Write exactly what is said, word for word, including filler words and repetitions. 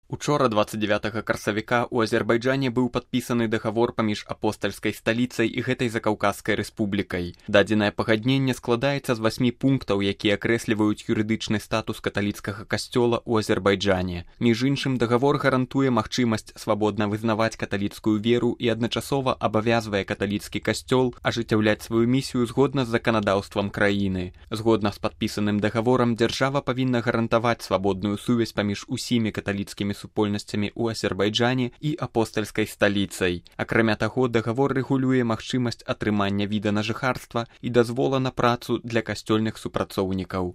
Учора дваццаць дзявятага красавіка ў Азербайджане быў падпісаны дагавор паміж апостальскай сталіцай і гэтай закаўказскай рэспублікай. Дадзенае пагадненне складаецца з васьмі пунктаў, якія акрэсліваюць юрыдычны статус каталіцкага касцёла ў Азербайджане. Між іншым, дагавор гарантуе магчымасць свабодна вызнаваць каталіцкую веру і адначасова абавязвае каталіцкі касцёл ажыццяўляць сваю місію згодна з заканадаўствам краіны. Згодна з падпісаным дагаворам, дзяржава павінна гарантаваць свабодную сувязь паміж усімі каталіцкімі супольнасцямі ў Азербайджане і апостальскай сталіцай. Акрамя таго, дагавор рэгулюе магчымасць атрымання віда на жыхарства і дазвола на працу для касцёльных супрацоўнікаў.